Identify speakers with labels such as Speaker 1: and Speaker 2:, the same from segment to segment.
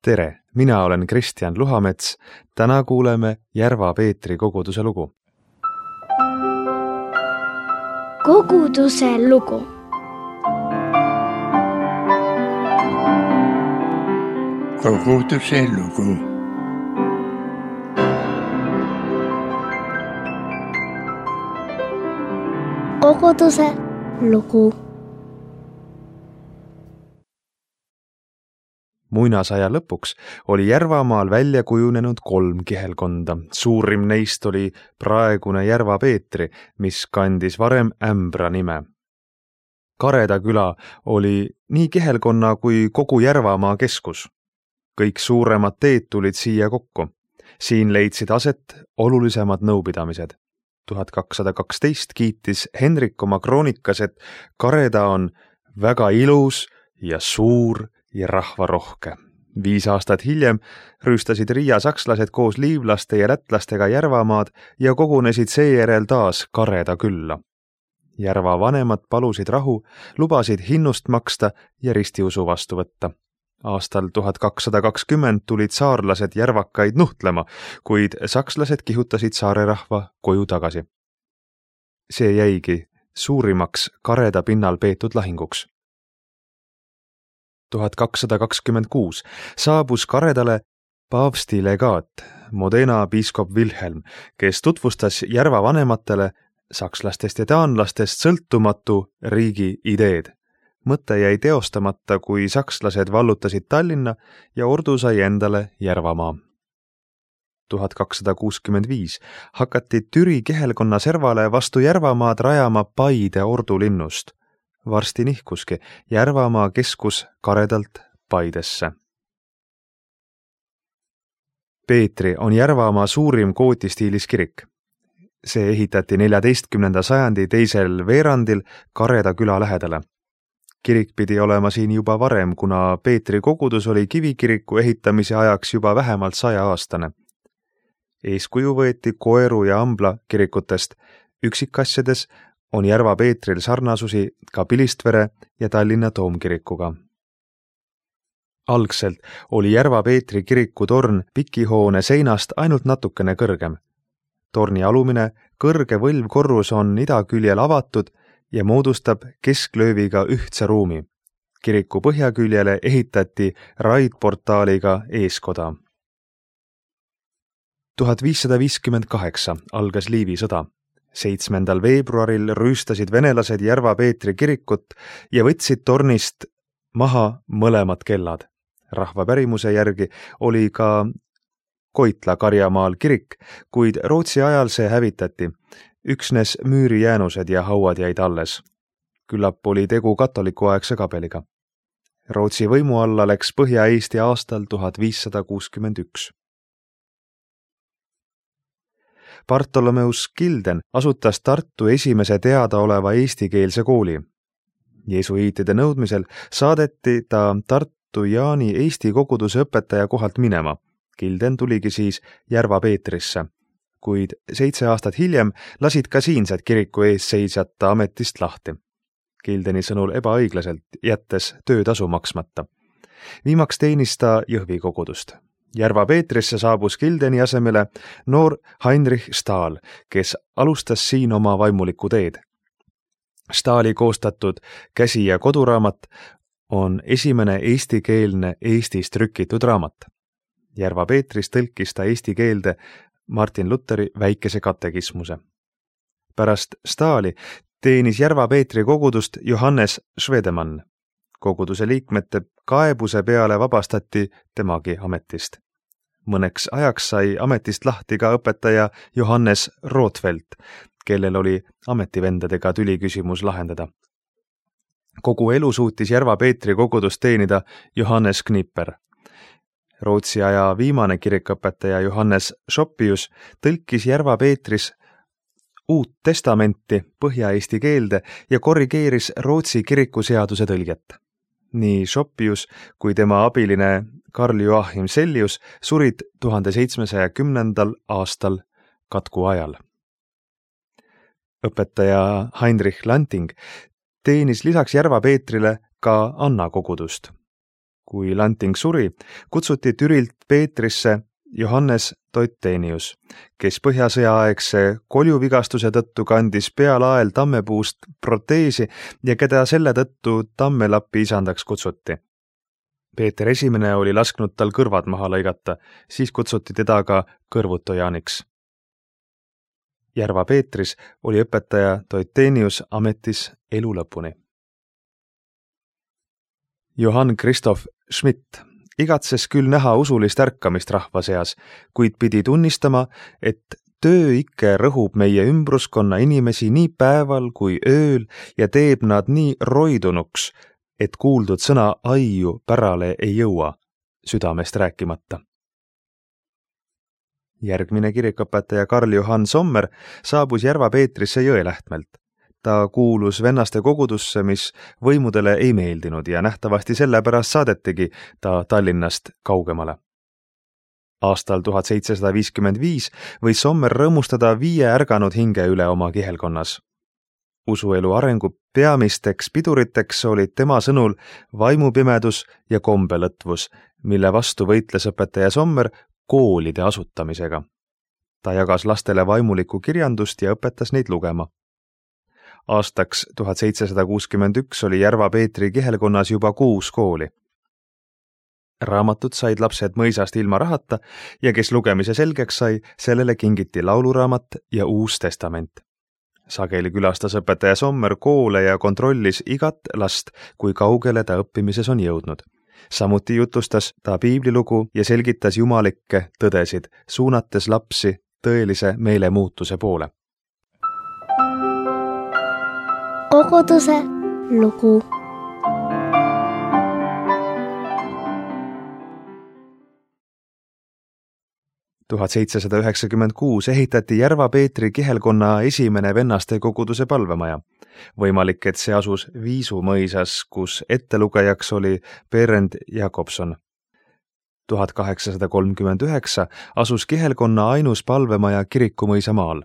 Speaker 1: Tere, mina olen Kristjan Luhamets. Täna kuuleme Järva Peetri koguduse lugu.
Speaker 2: Koguduse lugu.
Speaker 3: Koguduse lugu.
Speaker 2: Koguduse lugu.
Speaker 1: Muinasaja lõpuks oli Järvamaal välja kujunenud 3 kihelkonda. Suurim neist oli praegune Järva Peetri, mis kandis varem Ämbra nime. Kareda küla oli nii kihelkonna kui kogu Järvamaa keskus. Kõik suuremad teed tulid siia kokku. Siin leidsid aset olulisemad nõupidamised. 1212 kiitis Henrik oma kroonikas, et Kareda on väga ilus ja suur ja rahvarohke. 5 aastat hiljem rüüstasid Riia sakslased koos liivlaste ja lätlastega Järvamaad ja kogunesid seejärel taas Kareda külla. Järva vanemad palusid rahu, lubasid hinnust maksta ja ristiusu vastu võtta. Aastal 1220 tulid saarlased järvakaid nuhtlema, kuid sakslased kihutasid saare rahva koju tagasi. See jäigi suurimaks Kareda pinnal peetud lahinguks. 1226 saabus Karedale paavsti legaat, Modena piiskop Wilhelm, kes tutvustas Järva vanematele sakslastest ja taanlastest sõltumatu riigi ideed. Mõte jäi teostamata, kui sakslased vallutasid Tallinna ja ordu sai endale Järvamaa. 1265 hakati Türi kihelkonna servale vastu Järvamaad rajama Paide ordulinnust. Varsti nihkuski Järvamaa keskus Karedalt Paidesse. Peetri on Järvamaa suurim gootistiilis kirik. See ehitati 14. sajandi teisel veerandil Kareda küla lähedale. Kirik pidi olema siin juba varem, kuna Peetri kogudus oli kivikiriku ehitamise ajaks juba vähemalt 100-aastane. Eeskuju võeti Koeru ja Ambla kirikutest. Üksikasjades on Järva Peetril sarnasusi ka Pilistvere ja Tallinna toomkirikuga. Algselt oli Järva Peetri kiriku torn pikihoone seinast ainult natukene kõrgem. Torni alumine kõrge võlvkorrus on idaküljel avatud ja moodustab kesklööviga ühtse ruumi. Kiriku põhjaküljele ehitati raidportaaliga eeskoda. 1558 algas Liivi sõda. 7. veebruaril rüüstasid venelased Järva Peetri kirikut ja võtsid tornist maha mõlemad kellad. Rahva pärimuse järgi oli ka Koitla Karjamaal kirik, kuid Rootsi ajal see hävitati. Üksnes müürijäänused ja hauad jäid alles. Küllap oli tegu katolikuaegse kabeliga. Rootsi võimu alla läks Põhja-Eesti aastal 1561. Bartolomeus Gilden asutas Tartu esimese teadaoleva eestikeelse kooli. Jesuiitide nõudmisel saadeti ta Tartu Jaani Eesti koguduse õpetaja kohalt minema. Gilden tuligi siis Järva Peetrisse, kuid 7 aastat hiljem lasid ka siinsed kiriku ees seisjata ametist lahti. Gildeni sõnul ebaõiglaselt, jättes töötasu maksmata. Viimaks teenis ta Jõhvi kogudust. Järva Peetrisse saabus Gildeni asemele noor Heinrich Stahl, kes alustas siin oma vaimulikku teed. Stahli koostatud käsi- ja koduraamat on esimene eestikeelne Eestis trükitud raamat. Järva Peetris tõlkis ta eesti keelde Martin Lutheri väikese katekismuse. Pärast Stahli teenis Järva Peetri kogudust Johannes Schwedemann. Koguduse liikmete kaebuse peale vabastati temagi ametist. Mõneks ajaks sai ametist lahti ka õpetaja Johannes Rothfeldt, kellel oli ametivendadega tüliküsimus lahendada. Kogu elu suutis Järva Peetri kogudust teenida Johannes Knipper. Rootsi aja viimane kirikõpetaja Johannes Schoppius tõlkis Järva Peetris Uut testamenti põhja-eesti keelde ja korrigeeris Rootsi kirikuseaduse tõlget. Nii Schoppius kui tema abiline Karl Joachim Sellius surid 1710. aastal katku ajal. Õpetaja Heinrich Lanting teenis lisaks Järva Peetrile ka Anna kogudust. Kui Lanting suri, kutsuti Türilt Peetrisse Johannes Toitenius, kes põhjasõjaaegse koljuvigastuse tõttu kandis pealael tammepuust proteesi ja keda selle tõttu Tammelapi isandaks kutsuti. Peeter I oli lasknud tal kõrvad maha lõigata, siis kutsuti teda ka kõrvutojaaniks. Järva Peetris oli õpetaja Toitenius ametis elu lõpuni. Johann Christoph Schmidt igatses küll näha usulist ärkamist rahva seas, kuid pidi tunnistama, et tööike rõhub meie ümbruskonna inimesi nii päeval kui ööl ja teeb nad nii roidunuks, et kuuldud sõna aiu pärale ei jõua, südamest rääkimata. Järgmine kirikuõpetaja Karl Johann Sommer saabus Järva Peetrisse Jõelähtmelt. Ta kuulus vennaste kogudusse, mis võimudele ei meeldinud ja nähtavasti sellepärast saadetigi ta Tallinnast kaugemale. Aastal 1755 võis Sommer rõõmustada 5 ärganud hinge üle oma kihelkonnas. Usuelu arengu peamisteks piduriteks olid tema sõnul vaimupimedus ja kombelõtvus, mille vastu võitles õpetaja Sommer koolide asutamisega. Ta jagas lastele vaimulikku kirjandust ja õpetas neid lugema. Aastaks 1761 oli Järva Peetri kihelkonnas juba 6 kooli. Raamatud said lapsed mõisast ilma rahata ja kes lugemise selgeks sai, sellele kingiti lauluraamat ja Uus Testament. Sageli külastas õpetaja Sommer koole ja kontrollis igat last, kui kaugele ta õppimises on jõudnud. Samuti jutustas ta piiblilugu ja selgitas jumalikke tõdesid, suunates lapsi tõelise meelemuutuse poole.
Speaker 2: Koguduse lugu.
Speaker 1: Tuhat 1796 ehitati Järva Peetri kihelkonna esimene vennaste koguduse palvemaja. Võimalik, et see asus Viisu mõisas, kus ettelugejaks oli Berend Jakobson. 1839 asus kihelkonna ainus palvemaja Kirikumõisa maal.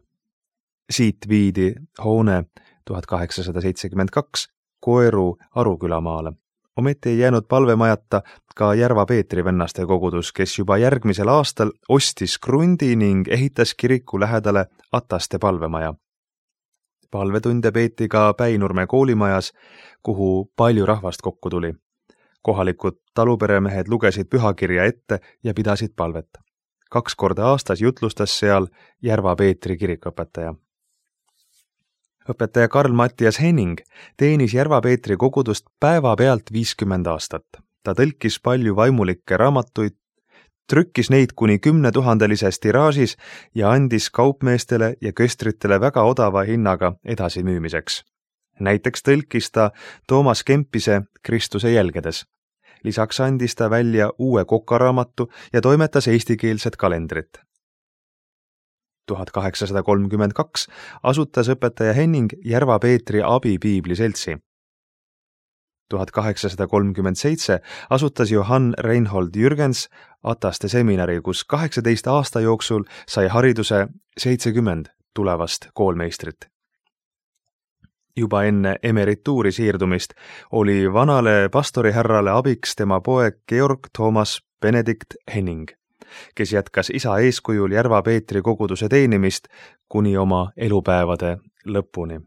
Speaker 1: Siit viidi hoone 1872 Koeru Aruküla maale. Ometi ei jäänud palvemajata ka Järva Peetri vennaste kogudus, kes juba järgmisel aastal ostis krundi ning ehitas kiriku lähedale Ataste palvemaja. Palvetunde peeti ka Päinurme koolimajas, kuhu palju rahvast kokku tuli. Kohalikud taluperemehed lugesid pühakirja ette ja pidasid palvet. 2 korda aastas jutlustas seal Järva Peetri kirikuõpetaja. Õpetaja Karl Mattias Henning teenis Järva Peetri kogudust päevapealt 50 aastat. Ta tõlkis palju vaimulikke raamatuid, trükkis neid kuni 10 000-lises tiraažis ja andis kaupmeestele ja köstritele väga odava hinnaga edasimüümiseks. Näiteks tõlkis ta Toomas Kempise Kristuse jälgedes. Lisaks andis ta välja uue kokaraamatu ja toimetas eestikeelset kalendrit. 1832 asutas õpetaja Henning Järva Peetri abipiibli seltsi. 1837 asutas Johann Reinhold Jürgens Ataste seminari, kus 18 aasta jooksul sai hariduse 70 tulevast koolmeistrit. Juba enne emerituuri siirdumist oli vanale pastorihärrale abiks tema poeg Georg Thomas Benedikt Henning, kes jätkas isa eeskujul Järva Peetri koguduse teenimist kuni oma elupäevade lõpuni.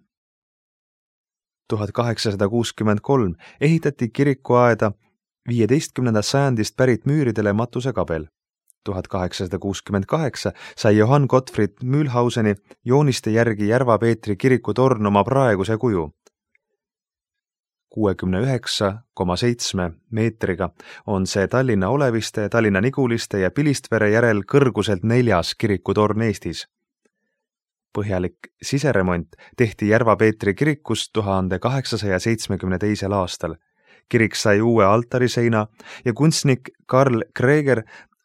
Speaker 1: 1863 ehitati kirikuaeda 15. sajandist pärit müüridele matusekabel. 1868 sai Johann Gottfried Mühlhauseni jooniste järgi Järva Peetri kirikutorn oma praeguse kuju. 69,7 meetriga on see Tallinna Oleviste, Tallinna Niguliste ja Pilistvere järel kõrguselt 4. kirikutorn Eestis. Põhjalik siseremont tehti Järva Peetri kirikus 1872. aastal. Kirik sai uue altariseina ja kunstnik Karl Kreeger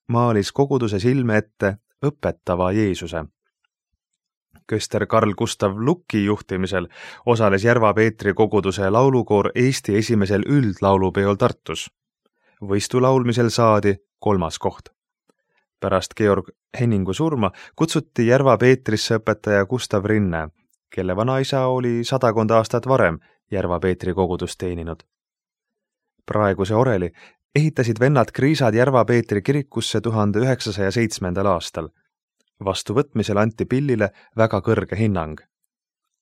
Speaker 1: maalis koguduse silme ette õpetava Jeesuse. Köster Karl Gustav Lukki juhtimisel osales Järva Peetri koguduse laulukoor Eesti esimesel üldlaulupeol Tartus. Võistu laulmisel saadi 3. koht. Pärast Georg Henningu surma kutsuti Järva Peetrisse õpetaja Gustav Rinne, kelle vanaisa oli 100 aastat varem Järva Peetri kogudust teeninud. Praeguse oreli ehitasid vennad Kriisad Järva-Peetri kirikusse 1907. aastal. Vastuvõtmisel anti pillile väga kõrge hinnang.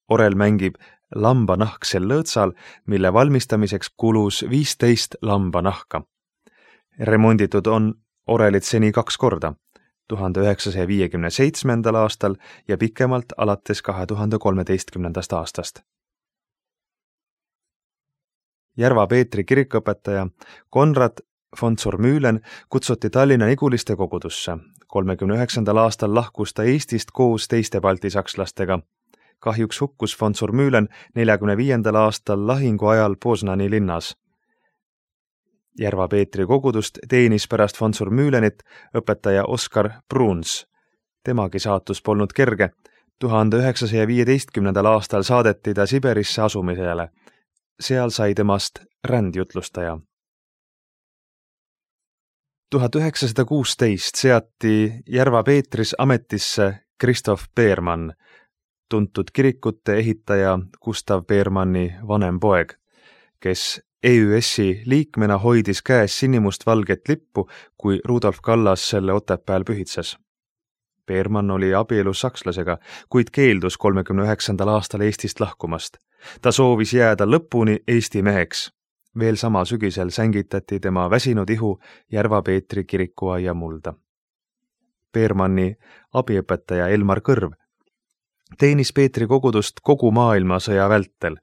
Speaker 1: Orel mängib lambanahk sel lõõtsal, mille valmistamiseks kulus 15 lambanahka. Remonditud on orelit seni 2 korda, 1957. aastal ja pikemalt alates 2013. aastast. Järva-Peetri kirikuõpetaja Konrad von Zurmühlen kutsuti Tallinna Niguliste kogudusse. 39. aastal lahkus ta Eestist koos teiste baltisakslastega. Kahjuks hukkus von Zurmühlen 45. aastal lahingu ajal Poznani linnas. Järva-Peetri kogudust teenis pärast von Zurmühlenit õpetaja Oskar Bruns. Temagi saatus polnud kerge. 1915. aastal saadeti ta Siberisse asumisele. Seal sai temast rändjutlustaja. 1916 seati Järva-Peetris ametisse Kristof Peermann, tuntud kirikute ehitaja Gustav Peermanni vanem poeg, kes EÜS-i liikmena hoidis käes sinimustvalget lippu, kui Rudolf Kallas selle Otepääl pühitses. Peermann oli abielus sakslasega, kuid keeldus 39. aastal Eestist lahkumast. Ta soovis jääda lõpuni Eesti meheks. Veel sama sügisel sängitati tema väsinud ihu Järva-Peetri kirikuaia mulda. Peermanni abiõpetaja Elmar Kõrv teenis Peetri kogudust kogu maailmasõja vältel.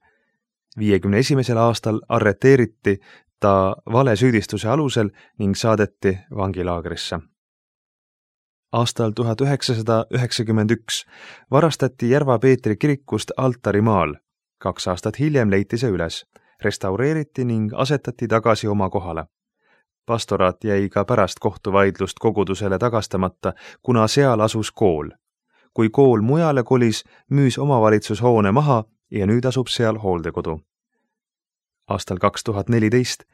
Speaker 1: 51. aastal arreteeriti ta valesüüdistuse alusel ning saadeti vangilaagrisse. Aastal 1991 varastati Järva-Peetri kirikust altarimaal. 2 aastat hiljem leiti see üles, restaureeriti ning asetati tagasi oma kohale. Pastoraat jäi ka pärast kohtuvaidlust kogudusele tagastamata, kuna seal asus kool. Kui kool mujale kolis, müüs omavalitsushoone maha ja nüüd asub seal hooldekodu. Aastal 2014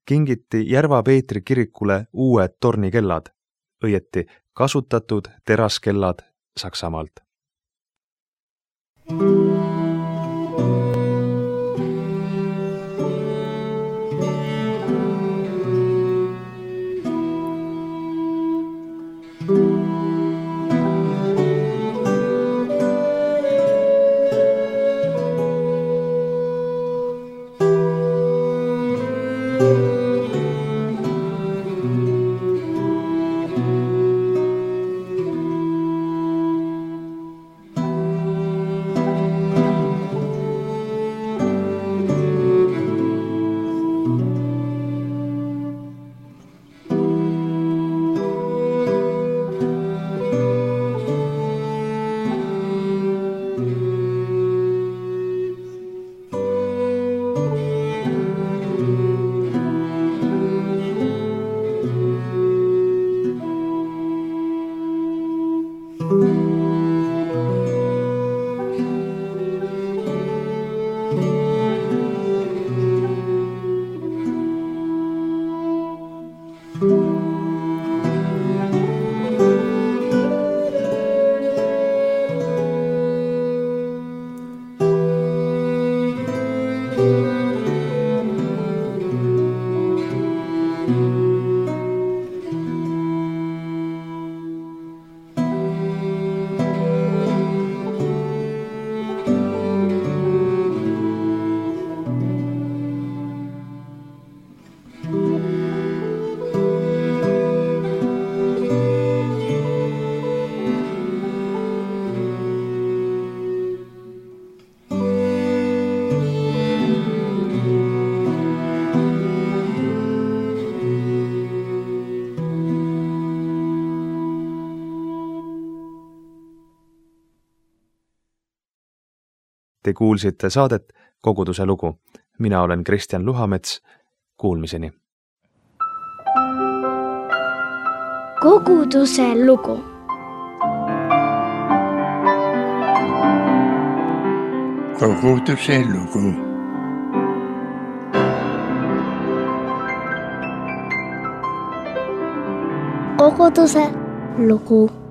Speaker 1: kingiti Järva-Peetri kirikule uued tornikellad, õieti kasutatud teraskellad Saksamaalt. Te kuulsite saadet Koguduse lugu. Mina olen Kristjan Luhamets. Kuulmiseni.
Speaker 2: Koguduse lugu.
Speaker 3: Koguduse lugu.
Speaker 2: Koguduse lugu.